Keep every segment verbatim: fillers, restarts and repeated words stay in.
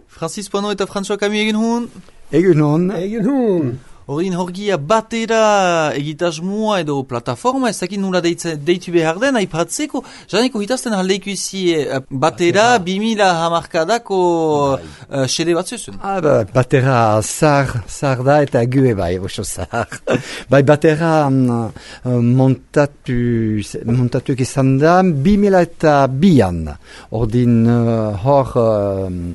Francis Pono eta François Camus egin hun? Egin hun. Egin hun. Horin horgia batera egitasmoa edo plataforma, ez dakit nula deitu behar den, aipatzeko, janeko hitazten haldeiko izi batera bimila hamarkadako xede bat zuzun. Ah, ba, batera zar, zar da eta gue bai, oso zar. Bai, batera um, montatu, montatu izan da bimila eta bian. Ordin uh, hor... Um,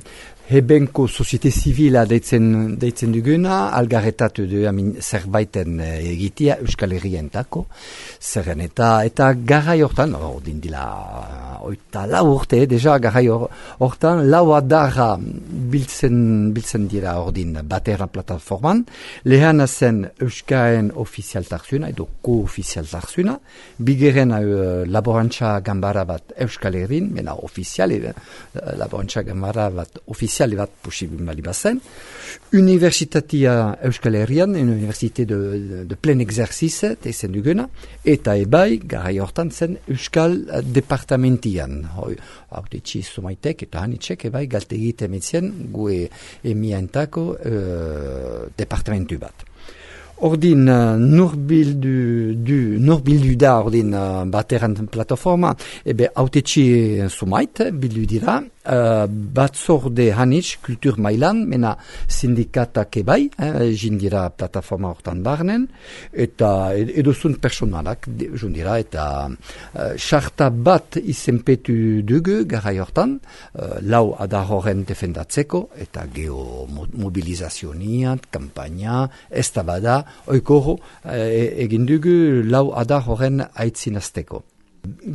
Hebenko Societe Zivila deitzen, deitzen duguna, algarretatu du amin, zerbaiten egitea Euskal Herrientako, zerren eta, eta garai hortan, ordin dila, oita lau urte, deja garai hortan, lau adarra biltzen, biltzen dira ordin batera plataforman, lehana zen Euskaren ofizialtarzuna, edo ko-ofizialtarzuna, bigeren uh, laborantza gambara bat Euskal Herrin, mena ofiziale, uh, laborantza gambara bat ofiziale, bat posibil bali bazen. Universitatea Euskal Herrian, Université de, de, de plein exercice, tezen duguna, eta ebai, garai hortan zen Euskal departamentian. Haute txiz sumaitek eta hanitzek ebai galte egite metzen gue emientako uh, departamentu bat. Ordin uh, nurbildu, du, nurbildu da ordin uh, bateran plataforma, ebe haute txi sumait, bildu dira, uh, batzorde hanitz, kultur mailan, mena sindikatak ebai, eh, jindira plataforma hortan barnen, eta edozun personalak jundira, eta xarta uh, bat izenpetu dugu garai hortan, uh, lau adar horren defendatzeko, eta geomobilizazioniat, kampaina, ez da bada, oikoro e, egin dugu lau adar horren aitzinazteko.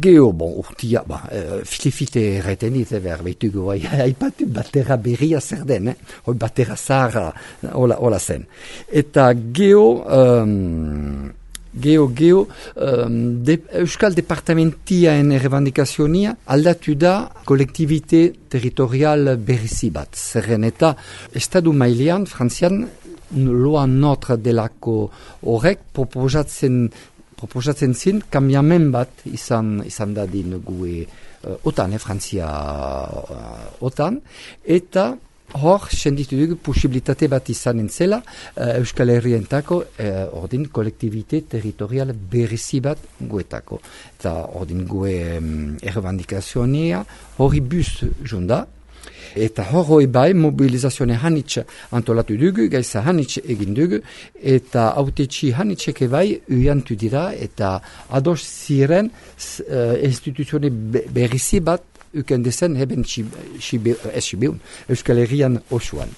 Geo, bon, urtia, ba, e, filifite erreten ite behar behitugu, haipatu batera berria zer den, eh? Hoi batera zahara, hola, hola zen. Eta geo, um, geo, geo, um, de, Euskal Departamentiaen errebandikazionia aldatu da kolektibite territorial berrizi bat. Zerren eta estadu mailean, frantzian, loa notre delako horrek proposatzen proposatzen zin kambiamen bat izan izan dadin gue uh, otan, eh, Frantzia uh, otan, eta hor senditu dugu posibilitate bat izanen zela uh, Euskal Herrientako uh, ordin kolektibite territorial berrizi bat guetako. Eta ordin gue um, errebandikazionia hori bus junda. Eta horroi bai mobilizazione hanitz antolatu dugu, gaisa hanitz egin dugu, eta autetxi hanitzeke bai uiantu dira, eta ados ziren uh, instituzione berrizi bat ukendezen heben esibeun, Euskal Herrian osuan.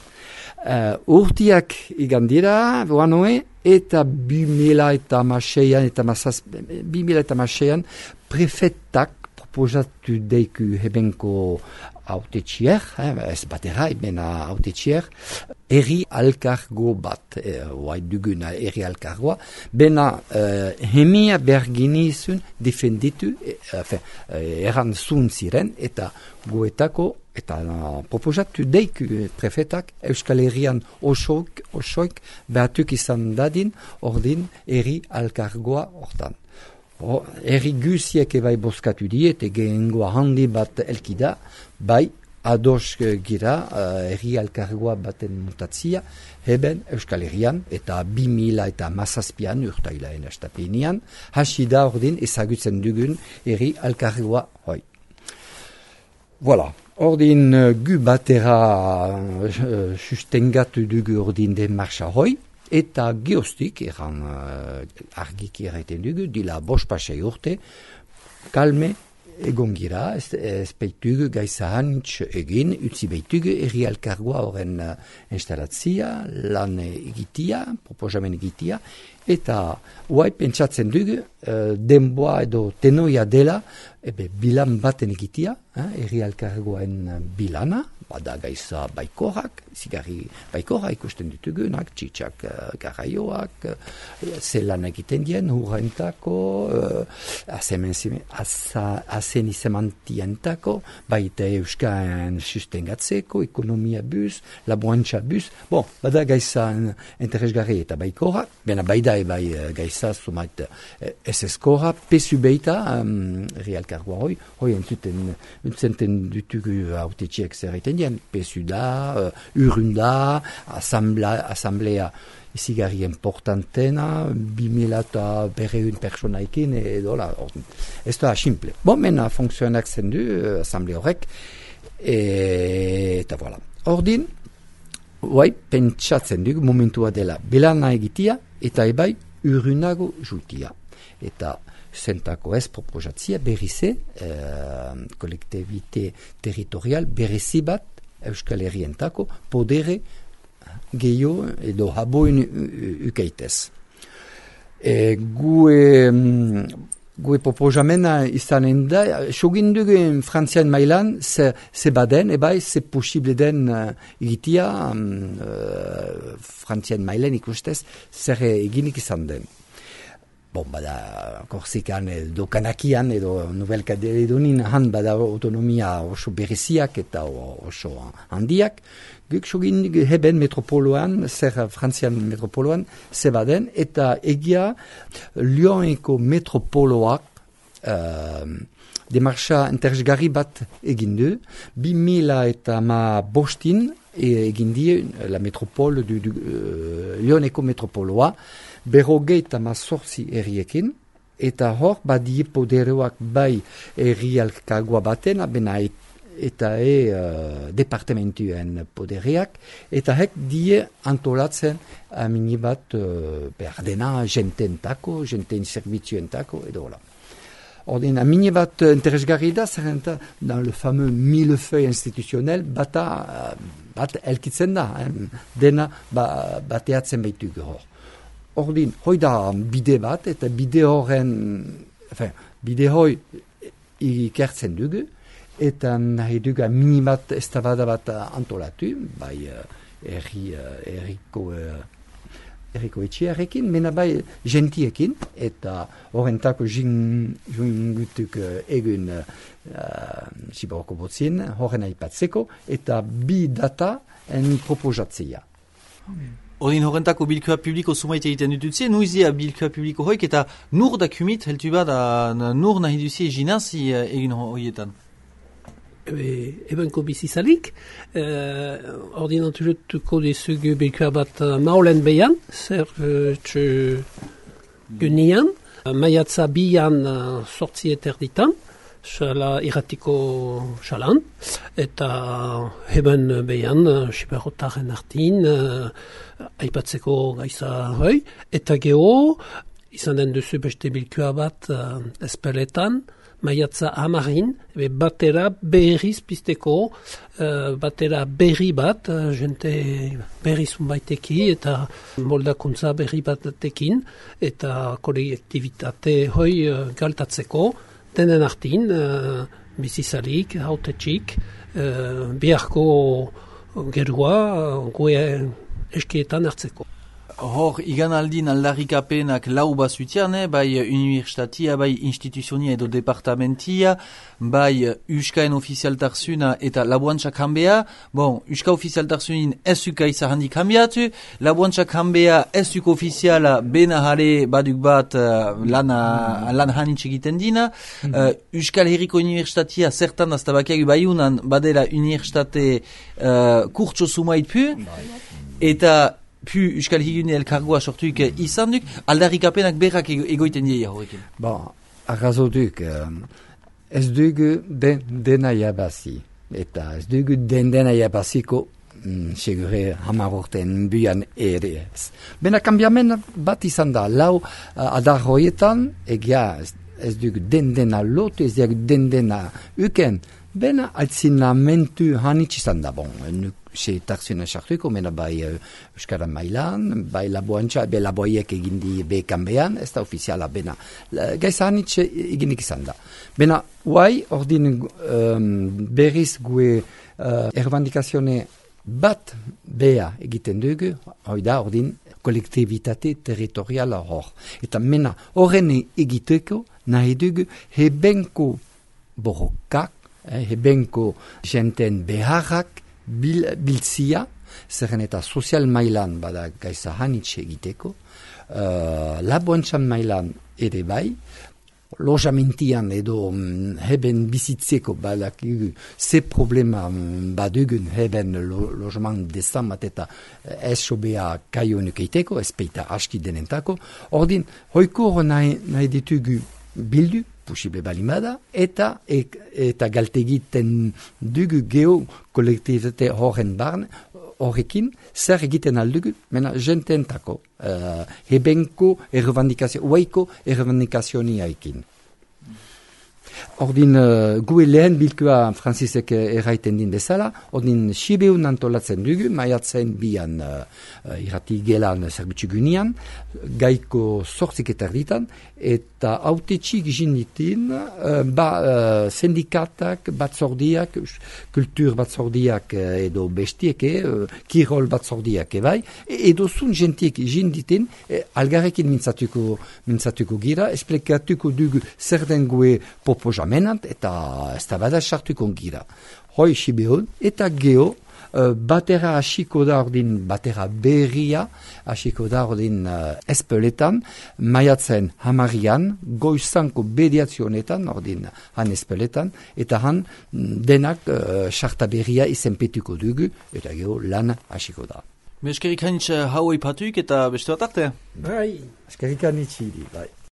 Uh, urtiak igan dira, boanoe, eta bimila eta maseian, eta masaz, bimila eta maseian, prefetak proposatu deiku hebenko autetxier, eh, ez batera, ebena autetxier, eri alkargo bat, eh, oai duguna eri alkargoa, bena eh, hemia berginizun defenditu, eh, eh, eran zun ziren, eta goetako, eta uh, proposatu deiku prefetak Euskal Herrian osoik, osoik behatuk izan dadin, ordin eri alkargoa hortan. Oh, erri guziek ebai boskatu diet, gehengoa handi bat elkida, bai ados gira uh, erri alkargoa baten mutatzia, heben Euskal Herrian, eta bi mila eta mazazpian urtailaen estapenian, hasi da ordin ezagutzen dugun erri alkargoa hoi. Voilà, ordin uh, gu batera uh, sustengatu dugu ordin den marcha hoi, eta geostik, eran uh, argiki erraiten dugu, dila bos pasei urte, kalme egon gira, ez, ez beitugu gaisa hanitz egin, utzi beitugu erri alkargoa horren uh, instalatzia, lan egitia, proposamen egitia, eta huai pentsatzen dugu, uh, denboa edo tenoia dela, ebe bilan baten egitia, eh, erri alkargoaen bilana, bada gaisa baikorak, zigarri baikora ikusten ditugunak, txitsak uh, garaioak, uh, zelan egiten dien, hurrentako, uh, azen izemantientako, baita euskaen sustengatzeko, ekonomia bus, laboantza bus, bon, bada gaisa interesgarri eta baikora, bena baida ebai uh, gaisa sumait uh, eseskora, pesu beita, um, erri alkargoa hoi, hoi entzuten, entzuten ditugu autetxiek zerreiten ginen, P S U da, uh, Urunda, asamblea, asamblea izigarri importantena, bimila eta berreun personaikin, edo la, ez da simple. Bon, mena funtzionak zen du, uh, asamblea horrek, e, eta voilà. Ordin, guai, pentsatzen dugu momentua dela, belana egitia, eta ebai, urunago jutia. Eta zentako ez proposatzia berrize, eh, kolektibite territorial berrizi bat Euskal Herrientako podere gehiago edo haboin ukeitez. E, gue, gue proposamena izanen da, sogin dugu frantzian mailan, ze, ze baden, ebai, ze posible den uh, egitia um, uh, frantzian mailan ikustez, zer eginik izan den. Bon, bada, Korsikan edo Kanakian edo Nouvelle Kaledonin han bada autonomia oso bereziak eta oso handiak. Guk sogin heben metropoloan, zer frantzian metropoloan, zebaden, eta egia Lyoneko metropoloak uh, demarcha interesgarri bat egin du, bi mila eta ma bostin egin die la metropole du, du uh, Lyoneko metropoloa, berrogei eta mazortzi erriekin, eta hor badie poderoak bai errialkagoa baten, bena eta e uh, departamentuen podereak, eta hek die antolatzen amini bat uh, behar dena jententako, jenten zerbitzuentako, edo hola. Ordin, amini bat interesgarri da, zerrenta, dans le fameux millefeuille institutionnel, bata, bat elkitzen da, eh? Dena ba, bateatzen baitu hor. Ordin, hoi da bide bat, eta bide horren, enfin, bide hoi ikertzen dugu, eta nahi dugu mini bat eztabada bat antolatu, bai erri, erriko, erriko etxearekin, mena bai gentiekin, eta horrentako jungutuk egun uh, siboroko botzien, horren aipatzeko, eta bi data en proposatzea. Okay. Odin horrentako bilkua publiko sumait egiten dutuzie, nuizia bilkua publiko hoik eta nur da kumit, heltu bada nur nahi duzie jinazi egin horietan? Ebenko bizizalik, uh, ordinantuzutuko dizugu bilkua bat uh, maulen behan, zer uh, txu gunian, uh, maiatza bian uh, sortzi eterditan, xala irratiko xalan, eta heben behan, uh, siberotaren artin, uh, aipatzeko gaiza hoi, eta geho, izan den duzu beste bilkua bat uh, espeletan, maiatza amarin, batera berriz pizteko, uh, batera berri bat, uh, jente berriz unbaiteki, eta moldakuntza berri batekin, eta kolektivitate hoi uh, galtatzeko, denen artin, uh, bizizalik, hautetxik, uh, biharko gerua, uh, gue eskietan hartzeko. Hor, igan aldin aldarrikapenak lau bazutian, eh? Bai universitatia, bai instituzionia edo departamentia, bai uskaen ofizialtarsuna eta labuantxak hanbea. Bon, uska ofizialtarsunin ez uka izahandik hanbiatu, labuantxak hanbea ez uka ofiziala bena jare baduk bat uh, lana, lan hanitz egiten dina. Uh, Euskal Herriko Universitatia zertan aztabakiak baiunan badela universitate uh, kurtso sumait pu, eta pu Euskal Higune elkargoa sortuik izan duk, aldarrikapenak berrak egoiten dira horrekin. Bon, arrazo duk, ez dugu den, dena jabazi, eta ez dugu den dena jabaziko, mm, segure hamarorten buian ere ez. Bena kambiamen bat izan da, lau uh, adar horietan, egia ez, ez dugu den dena lotu, ez dugu den dena uken, bena altzinamentu hanitz izan da, bon, nuk se tarsuna sartuko, mena bai uh, Euskara mailan, bai laboantxa, be laboiek egindi bekanbean, ez da ofiziala bena. Gaiza hanitz eginik izan da. Bena, guai, ordin um, berriz gue uh, errandikazione bat bea egiten dugu, hoi da, ordin, kolektivitate territoriala hor. Eta mena, horren egiteko, nahi dugu, hebenko borrokak, eh, hebenko jenten beharrak, Bil, biltzia, zerren eta sozial mailan bada gaiza hanitxe egiteko, uh, laboantxan mailan ere bai, lojamintian edo mm, heben bizitzeko badakigu ze problema mm, badugun heben lo, lojman dezamat eta esobea kaionuk eiteko, ezpeita aski denentako. Ordin, hoiko nahi, nahi ditugu bildu, posible balimada, eta eta galtegiten dugu geo kolektivitate horren barne, horrekin, zer egiten aldugu, mena jententako, uh, hebenko errevandikazio, uaiko errevandikazioniaikin. Ordin, uh, gue lehen bilkua Francisek erraiten din bezala, ordin Sibeun antolatzen dugu, maiatzen bian uh, uh, irrati gelan zerbitzu gunian, gaiko sortzik eta erditan, eta autetxik jinditin, uh, ba, uh, sindikatak, batzordiak, kultur batzordiak edo bestieke, uh, kirol batzordiak ebai, edo zun jentiek jinditin, eh, algarekin mintzatuko, mintzatuko gira, esplikatuko dugu zer den gue proposamenant, eta ez da bada sartuko gira. Hoi Sibeon, eta geo, Uh, batera hasiko da ordin, batera berria hasiko da ordin uh, espeletan, maiatzen hamarian, goizanko bediazionetan, ordin han espeletan, eta han denak sarta uh, berria izenpetuko dugu, eta gero lan hasiko da. Eskerik hainitz hau ipatuk eta beste bat arte? Bai, eskerik hainitz bai.